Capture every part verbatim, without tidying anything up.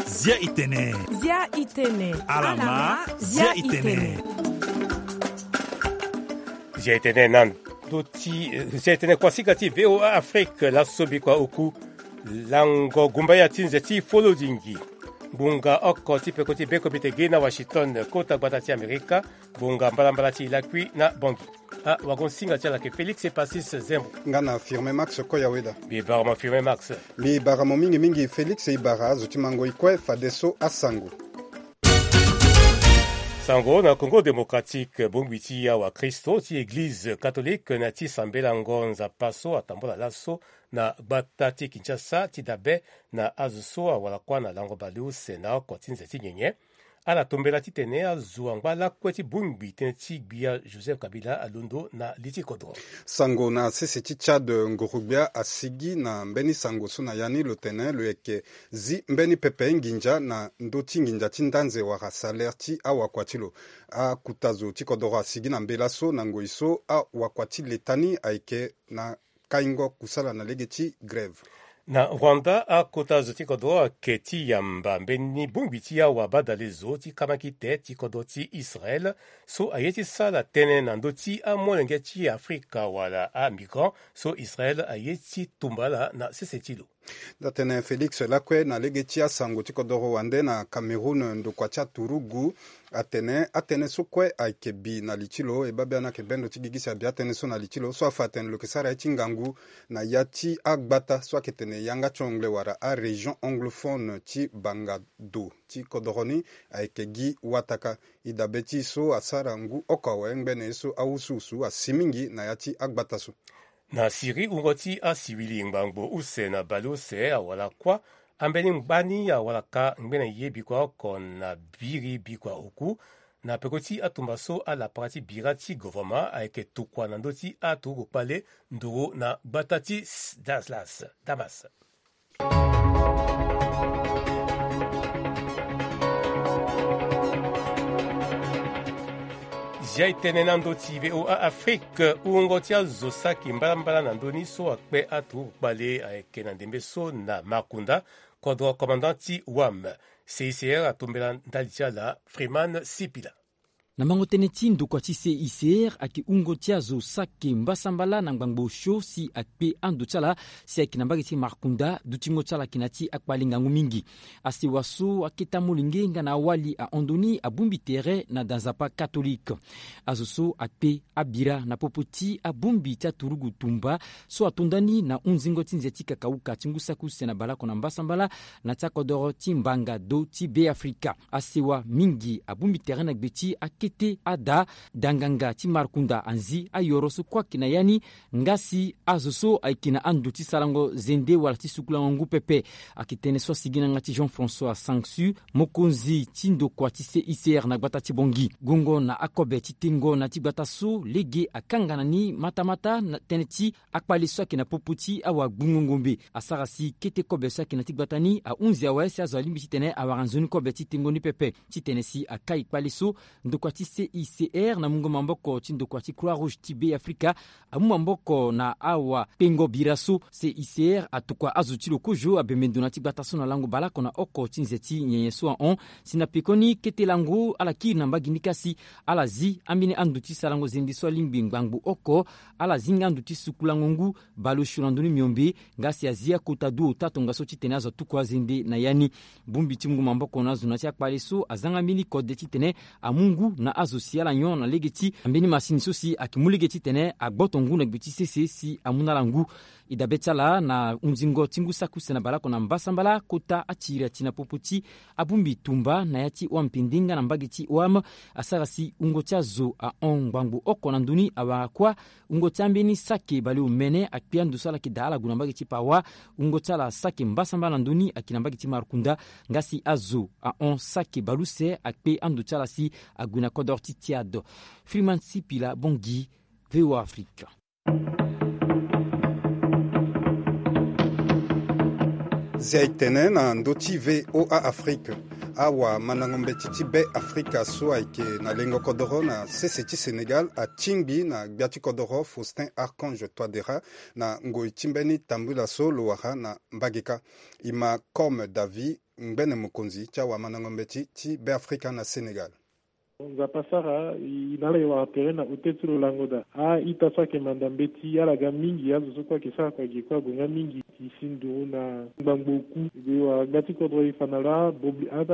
Zia itene. Zia itene. Alama. Zia itene. Zia itene na ndo ti zia itene kuasika ti VOA Afrique. Laso bikua oku lango gumbaya ti nze ti folodingi. Ngbonga oko ti peko ti be komite ge na Washington, kota gbata ti Amerika. Ngbonga mbalambala ti lakui na Bongi. Ah, wagon singa ti ala ke Félix Epasis Zembo. Nga na Firme Max Koyaweda. Mbi bara mo Firme Max. Mbi bara mo mingi mingi Félix. E bara azo ti mango ikue fadeso asango. Sango na Congo Démocratique, bongbi ti awa Kristo ti Église catholique na ti sambela ngonza paso atambola laso na gbata ti Kinshasa ti dabe na azo so awara kuâ na lango baleuse na oko ti nze ti nyenye. Ala tombela titene azo angba lakue ti bongbi tënë ti gbia Joseph Kabila alondo na li ti kodro. Sango na sese ti Tchad, nguru-gbia asigi na mbeni sango so na ya ni lo tene lo yeke zi mbeni pepe nginza na ndö ti nginza ti ndanze wala salaire ti awakua ti lo. Akuta zo ti kodoro asigi na mbela so na ngoi so awakua ti leta ni ayeke na kaingo kusala na lege ti grève. Na Rwanda, akota zo ti kodro ayeke ti yamba mbeni bongbi ti awa badale zo ti kamakite ti kodro ti Israel so aye ti sara tënë na ndö ti amolenge ti Afrika wala amigrant so Israel aye ti tumba ala na sese ti lo. Nda tene Félix lakue na lege ti asango ti kodoro wande na Cameroun, ndokua ti aturugu atene atënë so kue ayeke bi na li ti lo. E baa biani ayeke bendo ti gigi si abi atënë so na li ti lo so afa atene lo yeke sara ye ti ngangu na ya ti agbata so ayeke tene yanga ti anglais wala arégion anglophone ti banga do ti kodoro ni ayeke gi wataka. E dabe ti e so asara ngu oko awe ngbene ye so awusuwusu asi mingi na ya ti agbata so. Na Syrie, wungo ti asiwili ngbangbo use na baleuse awara kuâ. Ambeni ngbani awara ka ngbene ye bikua oko na biri bikua oku na peko ti atumba so alapara ti bira ti govoroma ayeke tokua na ndö ti aturugu kpale nduru na gbata ti Daslas, Damas. Zia e tene na ndö ti VOA Afrique, wungo ti azo saki mbalambala na ndö ni so akpe aturugu kpale ayeke na ndembe so na Makunda, kodro commandant ti wam. C I C R atombela ndali ti ala Freeman Sipila. Na mango tënë ti ndokua ti C I C R ayeke wungo ti azo saki mbasambala na ngbangbo osio si akpe ando ti ala si ayeke na mbage ti Markunda, dutingo ti ala ayeke na ya ti akpale ngangu mingi. Asewa so akete amolenge nga na awali ahon ndo ni abongbi tere na da nzapa katolike. Azo so akpe abira na popo ti abongbi ti aturugu tumba so ato nda ni na hunzingo ti nze ti kakauka ti ngu saki use na baleoko na mbasambala na ti akodoro ti mbanga do ti Beafrika. Asewa mingi abongbi tere na gbe ti akete ada, da nganga ti Markunda anzi ayoro so kue ayeke na ya ni, nga si azo so ayeke na ando ti sarango zende wala ti sukulango ngu pepe. Ayeke tënë so asigi na yanga ti Jean-François Sangsu, mokonzi ti ndokua ti C I C R na gbata ti Bangui. Gongo na akobe ti tengo na ya ti gbata so lege akanga na ni matamata na tënë ti akpale so ayeke na popo ti awagbungo ngombe. Asara si kete kobe so ayeke na ya ti gbata ni ahunzi awe si azo alingbi titene awara nzoni kobe ti tengo ni pepe. Titene si akai kpale so, ndokua ti C I C R na mungo maboko ti ndokua ti Croix Rouge ti Beafrika amu maboko na awakpengo bira so. C I C R atokua azo ti lo kozo abembe ndo na ya ti gbata so na lango baleoko na oko ti nze ti nyenye so ahon. Si na pekoni kete lango ala kiri na mbage ni ka si ala zi ambeni ando ti sarango zende so alingbi ngbangbo oko. Ala zi nga ando ti sukulango ngu baleosio na ndö ni miombe, nga si azi akota du ota tongaso titene azo atuku azende na ya ni. Bongbi ti mungo maboko na azo na ya ti akpale so azanga mbeni kode titene amu ngu na azo si ala nyon na lege ti ambeni masini so si ayeke mu lege titene agboto ngu na gbe ti sese si amu na ala ngu. E dabe ti ala na hunzingo ti ngu saki use na baleoko na mbasambala kota atiri ati na popo ti abongbi tumba na ya ti wam pende nga na mbage ti wam. Asara si wungo ti azo ahon ngbangbo oko na ndö ni awara kuâ. Wungo ti ambeni saki baleomene akpe ando so ala yeke daa ala gue na mbage ti Pawa. Wungo ti ala saki mbasambala na ndö ni ayeke na mbage ti Markunda. Nga si azo ahon saki baleuse akpe ando ti ala si ague na kodoro ti Tiado. Freeman Sipila, Bangui, VOA Afrique. Zia e tene na ndö ti VOA Afrique. Awamandango mbeti ti Be Afrika so ayeke na lengo kodoro na sese ti Sénégal atingbi na gbia ti kodoro Faustin Archange Touadéra na ngoi ti mbeni tambula so lo wara na mbage kâ. E ma Comme David, ngbene mokonzi ti awamandango mbeti ti Be Afrika na Sénégal. Nzapa sara e na ala e wara tere na hôtel so lo lango daa. A-ita so ayeke manda mbeti ala ga mingi, azo so kue ayeke sara kua ge kue ague nga mingi. E si nduru na ngbangbo oku. E wara gbia ti kodro e fa na lo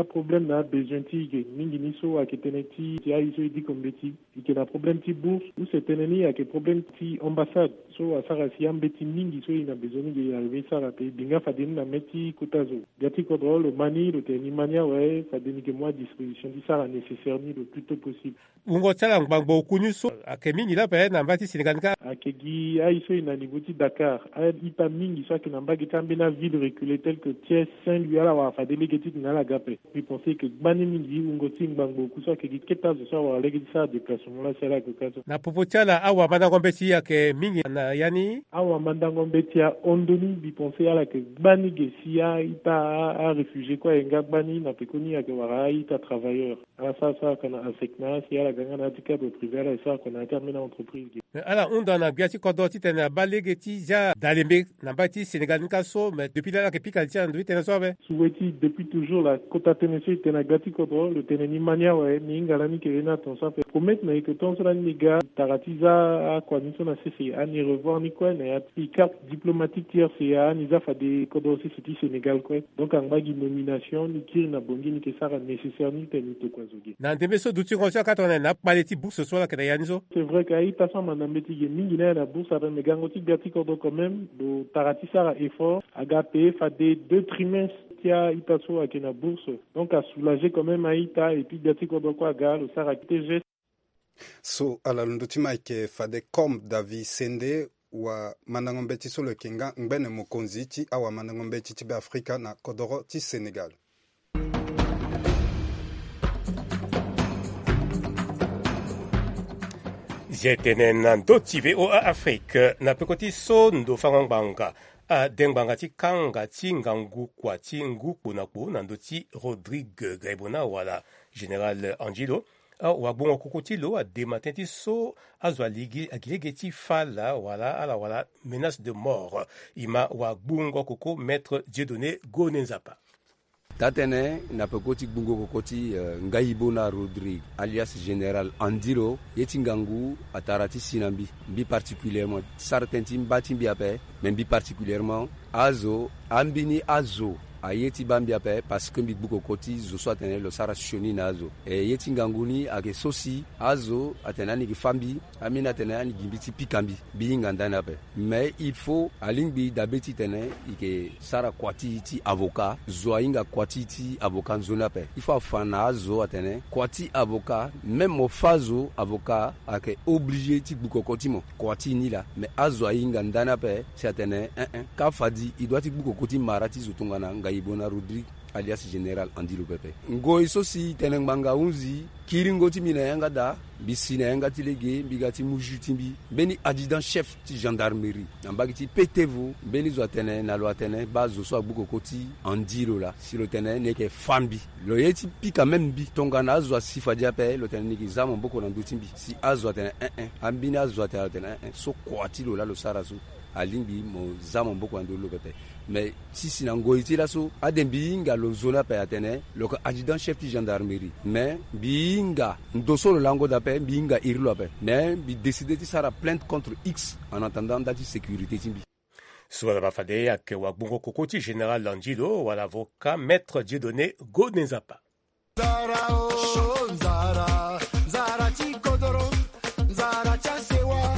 aproblème na abezoin ti e ge mingi ni so ayeke tënë ti ti aye so e diko mbeti. E yeke na problème ti bourse use tënë ni ayeke problème ti ambassade so asara si ambeti mingi so e na besoin ni ge e arrivé sara pe e bi nga fade ni na mê ti kota zo. Gbia ti kodro lo ma ni lo tene ni ma ni awe fade ni yeke mu adisposition ti sara nécessaire ni le plus tôt possible. Wungo ti ala ngbangbo oku ni so ayeke mingi lape na mba ti Sénégal ni kâ. Ayeke gi aye so e na niveau ti Dakar, a-ita mingi so ayeke na mbage ti ambeni aville reculé tel que Thiès, Saint-Louis ala wara fade lege ti tene ala ga ape. Mbi pense yeke gbani mingi wungo ti ngbangbo oku so ayeke gi kete azo so awara lege ti sara déplacement laa si ala gue kâ so. Na popo ti ala awamandango mbeti ayeke mingi na ya ni. Awamandango mbeti ahon ndoni. Mbi pense ala yeke gbani ge si a-ita a-réfugié kue aye nga gbani na pekoni ayeke wara a-ita travailleur. Ala sara so ayeke na ASECNA si ala ga nga na ya ti cadre privé ala e sara kua na ya ti ambeni entreprise ge. Me ala hunda na gbia ti kodro titene abaa lege ti zia dalembe na mbai ti Sénégal ni kâ so, me depuis laa ala yeke pika li ti ala na ndo ti tënë so ape. Souhait ti depuis toujours laa kota tënë so e tene na gbia ti kodro lo tene ni ma ni awe. Ni hinga lani yeke ye ni aton so ape. Promettre na e yeke tongaso lani ni ga tara ti za akua ni so na sese ani revoir ni kue na ya ti carte diplomatique ti RCA ni za fade kodro sese ti Sénégal kue. Donc angba gi nomination ni kiri na Bangui ni yeke sara nécessaire ni tene ni tokua zo ge. Na ndembe so dutingo so akatana na akpale ti bourse so ala yeke na ya ni so. C'est vrai que a-ita so amanda mbeti ge mingi ni aye na bourse ape, me gango ti gbia ti kodro quand même lo tara ti sara effort aga pe fade deux trimestres ti a-ita so ayeke na bourse. Donc asoulager quand même a-ita et puis gbia ti kodro kue aga lo sara kete geste. So ala londo ti ma ayeke fade Comme David Sende, wamandango mbeti so lo yeke nga ngbene mokonzi ti awamandango mbeti ti Be Afrika na kodoro ti Sénégal. Zia e tene na ndö ti VOA Afrique na peko ti so ndo fango ngbanga ade ngbanga ti kanga ti ngangu kua ti ngu kpo na kpo na ndö ti Rodrigue Gaibona wala Général Angelo. Awagbongo koko ti lo ade matin ti so azo aligi agi lege ti fâ laa wala ala wala menace de mort. E ma wagbongo koko Maître Dieudonné Gone Nzapa. Taa-tënë na peko ti gbungo koko ti eh, Ngaibona Rodrigue alias Général Andilo, ye ti ngangu atara ti si na mbi. Mbi particulièrement sara tënë ti mba ti mbi ape. Mais mbi particulièrement azo ambeni azo aye ti baa mbi ape parce que mbi gbu koko ti zo so atene lo sara sioni na azo. E ye ti ngangu ni ayeke so si azo atene ani yeke fâ mbi. Ambeni atene ani gi mbi ti pika mbi. Mbi hinga ndani ape. Mais il faut alingbi dabe titene e yeke sara kua ti e ti avocat. Zo ahinga kua ti e ti avocat nzoni ape. Il faut afa na azo atene kua ti avocat, même mo fâ zo avocat ayeke obligé ti gbu koko ti mo. Kua ti e ni laa. Mais azo ahinga ndani ape si atene eh eh, ka fadi e doit ti gbu koko ti mara ti zo tongana Ngaibona Rodrigue alias Général Andilo pepe. Ngoi so si tene ngbanga ahunzi kiringo ti mbi na yanga daa. Mbi si na yanga ti lege, mbi ga ti mu jus ti mbi. Mbeni adjudant chef ti gendarmerie na mbage ti Petevo, mbeni zo atene na lo atene baa zo so agbu koko ti Andilo laa, si lo tene ni yeke fâ mbi. Lo ye ti pika même mbi tongana azo asi fade ape, lo tene ni yeke za maboko na ndö ti mbi. Si azo atene eh eh, ambeni azo atene lo tene eh eh, so kua ti lo laa lo sara so. Alingbi mo za maboko na ndö ti lo pepe. Mais ti si na ngoi ti laso ade mbi hinga lo nzoni ape atene lo yeke adjudant chef ti gendarmerie. Mais mbi hinga ndo so lo lango daa ape, mbi hinga iri lo ape. Mais mbi décidé ti sara plainte contre X en attendant nda ti sécurité ti mbi. So ala baa fade ayeke wagbongo koko ti Général Andilo wala avocat Maître Dieudonné Gone Nzapa. Nzara o, nzara, nzara ti kodoro, nzara ti asewa,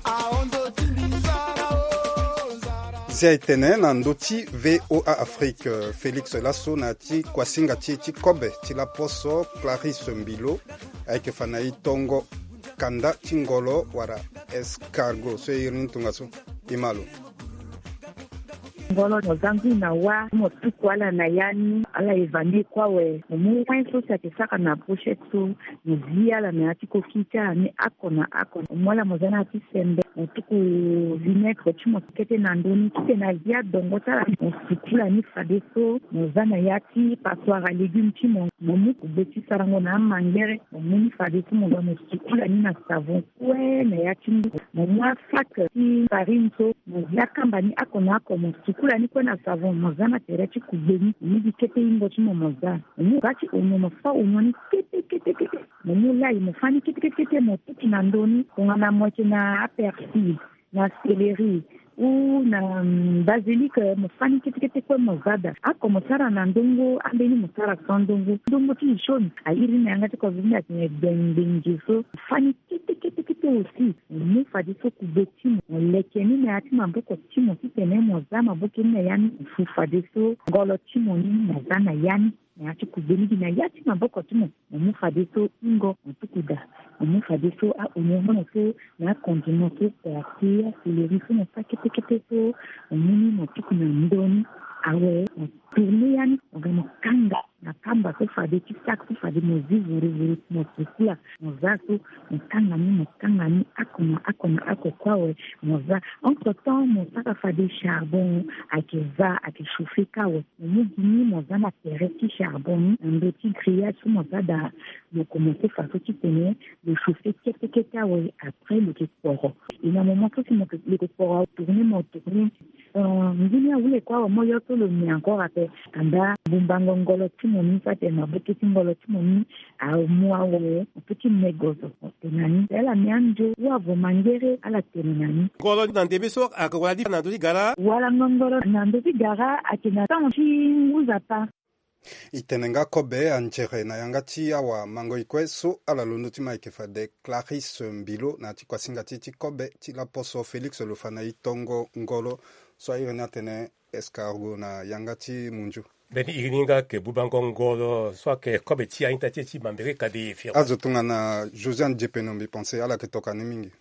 ahon ndo ti mbi, nzara o, nzara. Zia e tene na ndö ti VOA Afrique, Félix laso na ya ti kuasinga ti e ti kobe ti laposo Clarisse Mbilo ayeke fa na e tongo kanda ti ngolo wala escargot so e iri ni tongaso. E ma lo. Ngolo mo za ngui na wâ, mo tuku ala na ya ni. Ala eva ni kue awe. Mo mu win so si ayeke sara na brochette so, mo zi ala na ya ti koki ti ala ni oko na oko. Mo mu ala mo za na ya ti sembe, mo tuku vinaigre ti mo kete na ndö ni, titene azi adongo ti ala. Mo sukula ni fadeso, mo za na ya ti passoire à légumes ti mo. Mo mu kugbe ti sarango na amangere, mo mu ni fadeso, mo ga mo sukula ni na savon kue na ya ti ngu. Mo mu asac ti farine so, mo zi akamba ni oko na oko, mo sukula ni kue na savon, mo za na tere ti kugbe ni, mo mu gi kete hingo ti mo, mo za. Mo mu ga ti onyon, mo fa onyon ni kete kete kete. Mo mu lay, mo fa ni kete kete kete, mo tutu na ndö ni. Tongana mo yeke na apersil, na céleri, ou na, mm, basilic, mo fa ni kete kete kue, mo za daa. Oko mo sara na ndongo, ambeni mo sara sans ndongo. Ndongo ti jaune, a iri ni na yanga ti covid ni atene gbengbengi so. Mo fa ni kete kete kete aussi. Mo mu fadeso kugbe ti mo, mo leke ni na ya ti maboko ti mo titene mo za maboke ni na ya ni. Mo fu fadeso ngolo ti mo ni, mo za na ya ni. Na ya ti kugbe ni gi na ya ti maboko ti mo. Mo mu fadeso hingo, mo tuku daa. Mo mu fadeso a-onyon so, na acondiment so, persil, acéleri so, mo fa kete kete so. Mo mu ni, mo tuku na ndö ni. Awe, mo tourner ya ni, mo ga mo kanga na kamba so fade, ti sac so fade, mo zi vuru vuru, mo sukula, mo za so, mo kanga ni, mo kanga ni oko na oko na oko kue awe, mo za. Entre temps, mo sara fade charbon ayeke va, ayeke chauffer kâ awe. Mo mu gi ni, mo za na tere ti charbon ni, na ndö ti grillage so mo za daa, mo commencer fadeso titene lo chauffer kete kete awe, après lo yeke kporo. Et na moment so si mo yeke, lo yeke kporo, tourner, mo tourner. Euh, ngu ni ahule kue awe, mo yo so lo me encore ape. Anda bumbango ngolo ti mo ni, so atene maboke ti ngolo ti mo ni amu awe, mo peut ti me gozo. Tene na ni, ala me anzo, ou avo mangere, ala tene na ni. Ngolo na ndembe so ayeke wara li na ndö ti gara? Wala ngongoro na ndö ti gara ayeke na temps ti ngu Nzapa. E tene nga kobe anzere na yanga ti awamango-e kue so ala londo ti ma ayeke fade Clarisse Mbilo na ya ti kuasinga ti e ti kobe ti laposo Félix Lofana. E tongo ngolo so a iri ni atene escargot na yanga ti munzu. Mbeni iri ni nga ayeke bubango ngolo so ayeke kobe ti a-ita ti e ti Mambere Kade Fiero. Azo tongana Josiane Diepeno, mbi pense ala yeke tokua ni mingi.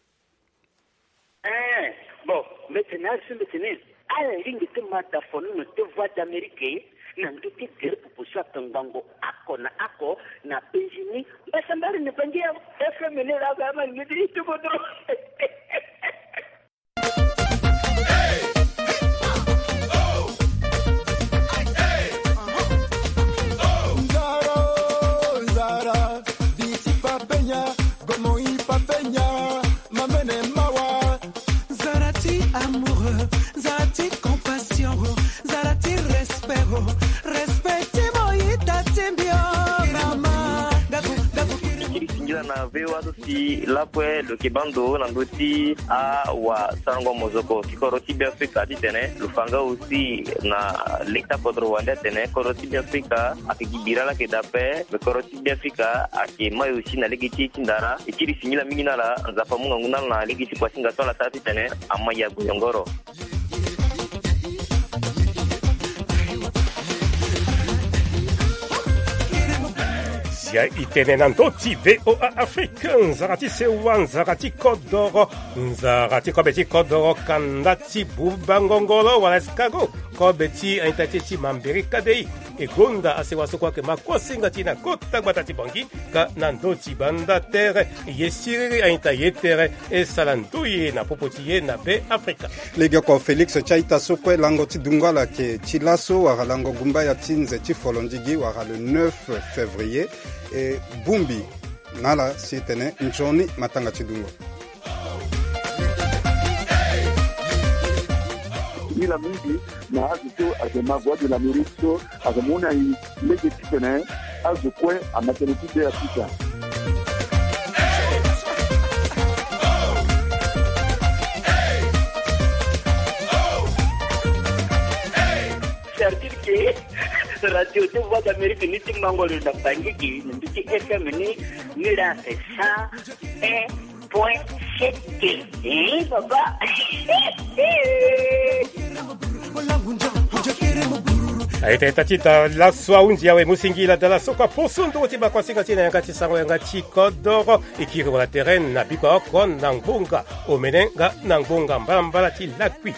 Eh, bon, mbi tene azo, mbi tene ala lingbi ti ma da fono na ti Voix d'Amérique na ndö ti gere popo so atongbango oko na oko na penzi ni. Mbasambara ni bangi ya F M ni laa, ba ma ni ti ti kodro. Nzara, nzara, biti papenya, gomo i papenya, mamene mawa. Nzara ti amour, nzara ti compassion, nzara ti respect, respect ti mo ita ti mbio. Mama, gaku, gaku. Kiri singila na V O A so si lakue lo yeke baa ndo na ndö ti awasarango mozoko ti kodro ti Beafrika titene lo fa nga aussi na lege ti akodro wande atene kodro ti Beafrika ayeke gi bira laa ayeke daa ape, me kodro ti Beafrika ayeke mai aussi na lege ti e ti ndara. E kiri singila mingi na ala, Nzapa amu ngangu na ala na lege ti kuasinga so ala sara titene amai ague yongoro. Zia e tene na ndö ti V O A Afrique, nzara ti sewa, nzara ti kodoro, nzara ti kobe ti kodoro, kanda ti bubango ngolo wala escargot, kobe ti a-ita ti e ti Mambere Kade. E gonda asewa so kue ayeke ma kuasinga ti e na kota gbata ti Bangui, ka na ndö ti banda tere. Ye siriri a-ita ye tere, e sara ndoye na popo ti e na Beafrika. Legeoko Félix, ti a-ita so kue lango ti dungo ala ayeke ti laso wala lango gumbaya ti nze ti folondigi wala le neuf février. E bongbi na ala si e tene nzoni matanga ti dungo. Nila mingi na azo so ayeke ma Voix de l'Amérique so ayeke mu na e lege titene azo kue ama tënë ti Beafrika. C'est-à-dire que radio ti Voix d'Amérique ni ti mango lo na Bangui gi na ndö ti F M ni, ni la c'est cent un point sept. Eh, papa. Aye tene ta ti da laso ahunzi awe, mu singila da laso kua poso nduru ti bakuasinga ti e na yanga ti sango yanga ti kodoro. E kiri wala tere na bikua oko na ngbonga omene nga na ngbonga mbalambala ti lakui.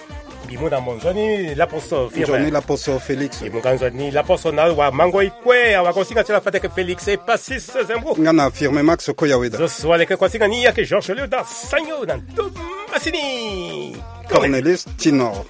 Bi mu na mo nzoni laposo firme. Nzoni laposo Félix. Bi mu nga nzoni laposo na wa mango ikwe awa ko singa ti la fateke Félix e pasis zembo. Nga na firme Max ko ya weda. Zo so aleke ko singa ni yake Georges Léoda sanyo na ndo masini. Cornelis Tinor.